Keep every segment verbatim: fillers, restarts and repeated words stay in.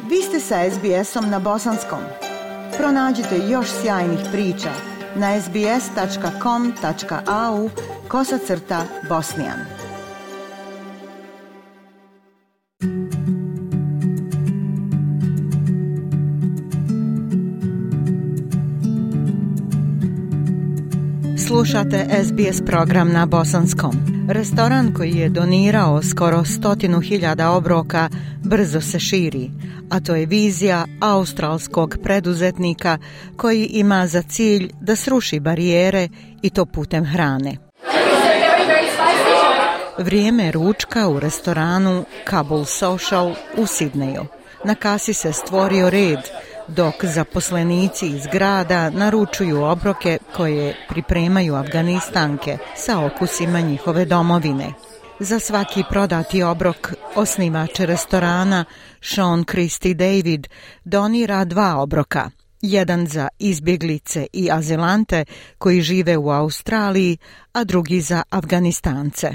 Vi ste sa es be esom na bosanskom. Pronađite još sjajnih priča na es be es tačka com tačka a u kosacrta bosnijan. Slušate es be es program na bosanskom. Restoran koji je donirao skoro stotinu hiljada obroka brzo se širi, a to je vizija australskog preduzetnika koji ima za cilj da sruši barijere i to putem hrane. Vrijeme ručka u restoranu Kabul Social u Sidneju. Na kasi se stvorio red, dok zaposlenici iz grada naručuju obroke koje pripremaju Afganistanke sa okusima njihove domovine. Za svaki prodati obrok osnivač restorana Sean Christy David donira dva obroka. Jedan za izbjeglice i azilante koji žive u Australiji, a drugi za Afganistance.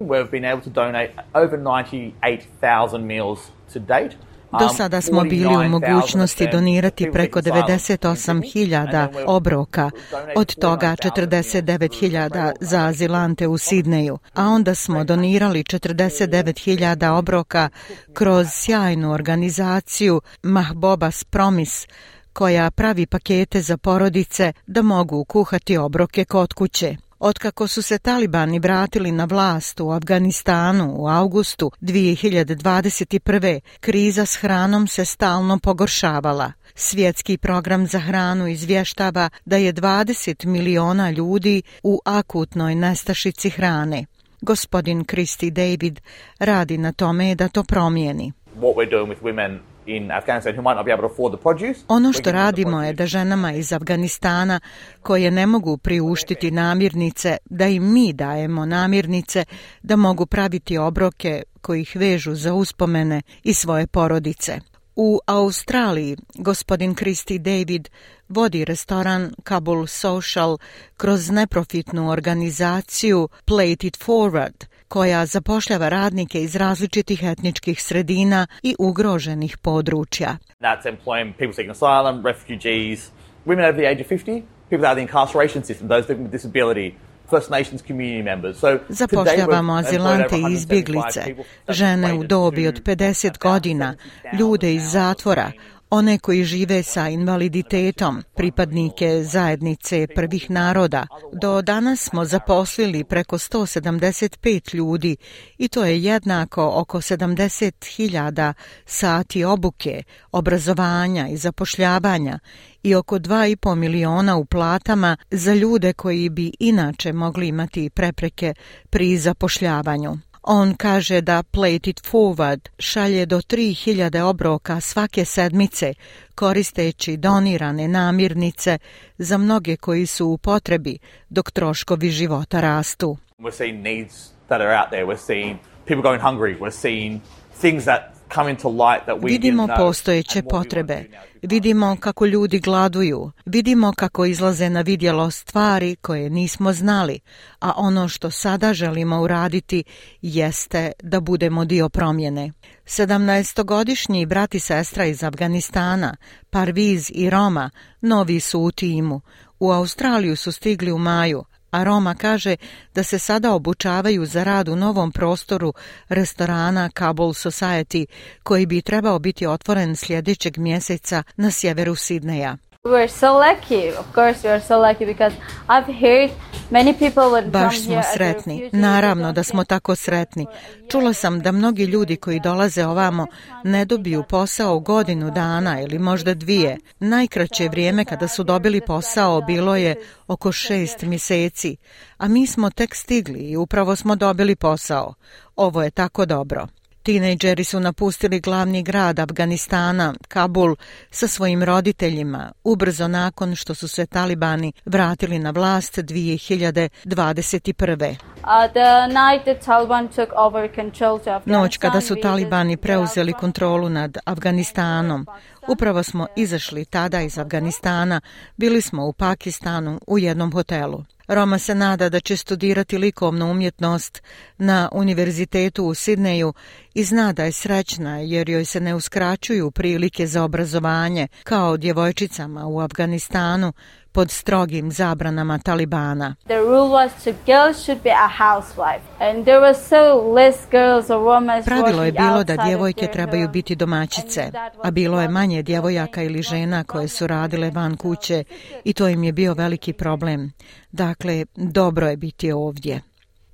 We've been able to donate over ninety-eight thousand meals to date. Do sada smo bili u mogućnosti donirati preko devedeset osam hiljada obroka, od toga četrdeset devet hiljada za azilante u Sidneju, a onda smo donirali četrdeset devet hiljada obroka kroz sjajnu organizaciju Mahbobas Promise, koja pravi pakete za porodice da mogu kuhati obroke kod kuće. Otkako su se talibani vratili na vlast u Afganistanu u avgustu dvije hiljade dvadeset prve. kriza s hranom se stalno pogoršavala. Svjetski program za hranu izvještava da je dvadeset miliona ljudi u akutnoj nestašici hrane. Gospodin Christy David radi na tome da to promijeni. What we're doing with women in Afghanistan who might not be able to afford the produce. Ono što radimo je da ženama iz Afganistana koje ne mogu priuštiti namirnice, da im mi dajemo namirnice da mogu praviti obroke koji ih vežu za uspomene i svoje porodice. U Australiji gospodin Christy David vodi restoran Kabul Social kroz neprofitnu organizaciju Plate It Forward, koja zapošljava radnike iz različitih etničkih sredina i ugroženih područja. That's employing people seeking asylum, refugees, women over the age of fifty, people out of the incarceration system, those living with disability, First Nations community members. So zapošljavamo azilante i izbjeglice, žene u dobi od pedeset godina, ljude iz zatvora, one koji žive sa invaliditetom, pripadnike zajednice prvih naroda. Do danas smo zaposlili preko sto sedamdeset pet ljudi i to je jednako oko sedamdeset hiljada sati obuke, obrazovanja i zapošljavanja i oko dva i pol miliona u platama za ljude koji bi inače mogli imati prepreke pri zapošljavanju. On kaže da Plate It Forward šalje do tri hiljade obroka svake sedmice koristeći donirane namirnice za mnoge koji su u potrebi dok troškovi života rastu. We're seeing needs that are out there. We're seeing people going hungry. We're seeing things that come into light that we Vidimo postojeće potrebe, vidimo kako ljudi gladuju, vidimo kako izlaze na vidjelo stvari koje nismo znali, a ono što sada želimo uraditi jeste da budemo dio promjene. Sedamnaestogodišnji brat i sestra iz Afganistana, Parviz i Roma, novi su u timu. U Australiju su stigli u maju, a Roma kaže da se sada obučavaju za rad u novom prostoru restorana Kabul Society, koji bi trebao biti otvoren sljedećeg mjeseca na sjeveru Sidneja. We're so lucky. Of course we are so lucky because I've heard many people would come Baš smo here as sretni. refugees. Naravno da smo tako sretni. Čula sam da mnogi ljudi koji dolaze ovamo ne dobiju posao godinu dana ili možda dvije. Najkraće vrijeme kada su dobili posao bilo je oko šest mjeseci, a mi smo tek stigli i upravo smo dobili posao. Ovo je tako dobro. Tinejdžeri su napustili glavni grad Afganistana, Kabul, sa svojim roditeljima, ubrzo nakon što su se talibani vratili na vlast dvije hiljade dvadeset prve. Uh, the night the Taliban took over control to Afghanistan. Noć kada su talibani preuzeli kontrolu nad Afganistanom, Upravo smo izašli tada iz Afganistana, bili smo u Pakistanu u jednom hotelu. Roma se nada da će studirati likovnu umjetnost na univerzitetu u Sidneju i zna da je srećna jer joj se ne uskraćuju prilike za obrazovanje kao djevojčicama u Afganistanu pod strogim zabranama Talibana. The rule was to girls should be a housewife and there was so less girls or women. Pravilo je bilo da djevojke trebaju biti domaćice, a bilo je manje djevojaka ili žena koje su radile van kuće i to im je bio veliki problem. Dakle, dobro je biti ovdje.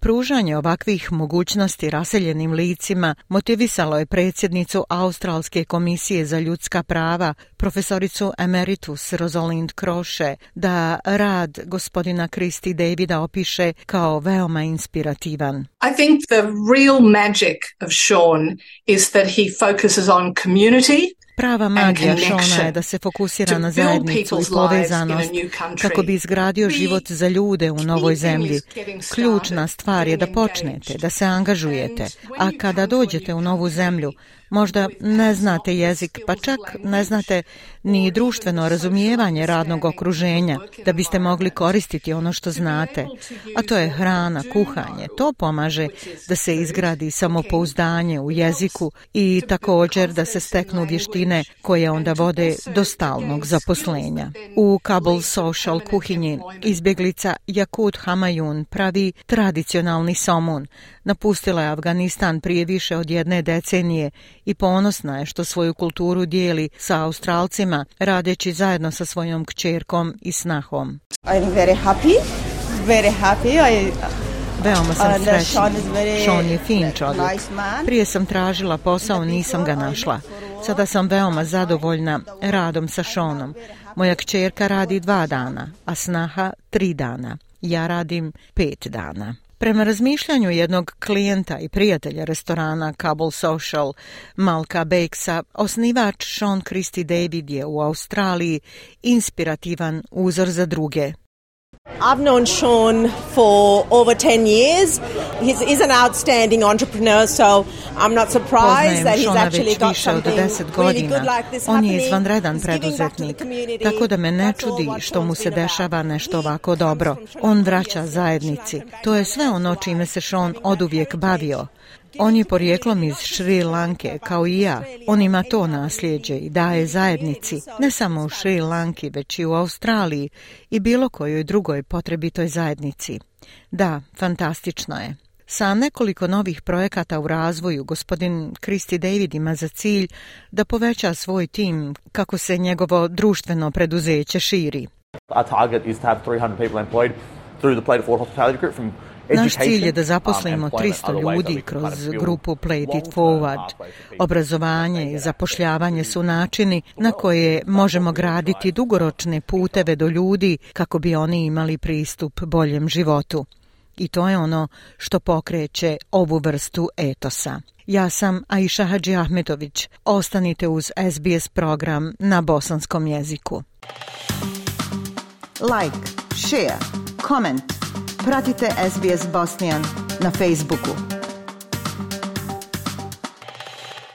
Pružanje ovakvih mogućnosti raseljenim licima motivisalo je predsjednicu Australske komisije za ljudska prava, profesoricu emeritus Rosalind Kroše, da rad gospodina Christy Davida opiše kao veoma inspirativan. I think the real magic of Sean is that he focuses on community. Prava magija Šona je da se fokusira na zajednicu i povezanost kako bi izgradio život za ljude u novoj zemlji. Ključna stvar je da počnete, da se angažujete, a kada dođete u novu zemlju, možda ne znate jezik, pa čak ne znate ni društveno razumijevanje radnog okruženja, da biste mogli koristiti ono što znate. A to je hrana, kuhanje. To pomaže da se izgradi samopouzdanje u jeziku i također da se steknu vještine koje onda vode do stalnog zaposlenja. U Kabul Social kuhinji izbjeglica Yakut Hamayun pravi tradicionalni somun. Napustila je Afganistan prije više od jedne decenije i ponosna je što svoju kulturu dijeli sa Australcima, radeći zajedno sa svojom kćerkom i snahom. I'm very happy, very happy. I... Veoma sam srećna. Sean je fin čovjek. Prije sam tražila posao, nisam ga našla. Sada sam veoma zadovoljna radom sa Seanom. Moja kćerka radi dva dana, a snaha tri dana. Ja radim pet dana. Prema razmišljanju jednog klijenta i prijatelja restorana Kabul Social, Malka Beksa, osnivač Sean Christy David je u Australiji inspirativan uzor za druge. I've known Sean for over ten years. He's, he's an outstanding entrepreneur, so I'm not surprised that he's actually got something really good like this happening. On je izvanredan preduzetnik, tako da me ne čudi što mu se dešava nešto ovako dobro. On vraća zajednici. To je sve ono čime se Sean oduvijek bavio. On je porijeklom iz Šri Lanke, kao i ja. On ima to nasljeđe i daje zajednici, ne samo u Šri Lanki, već i u Australiji i bilo kojoj drugoj potrebitoj zajednici. Da, fantastično je. Sa nekoliko novih projekata u razvoju, gospodin Christy David ima za cilj da poveća svoj tim kako se njegovo društveno preduzeće širi. Our target is to have three hundred people employed through the Plate It Forward Hospitality Group from Naš cilj je da zaposlimo tristo ljudi kroz grupu Plate It Forward. Obrazovanje i zapošljavanje su načini na koje možemo graditi dugoročne puteve do ljudi kako bi oni imali pristup boljem životu. I to je ono što pokreće ovu vrstu etosa. Ja sam Aisha Hadži Ahmetović. Ostanite uz S B S program na bosanskom jeziku. Like, share, comment. Pratite S B S Bosnian na Facebooku.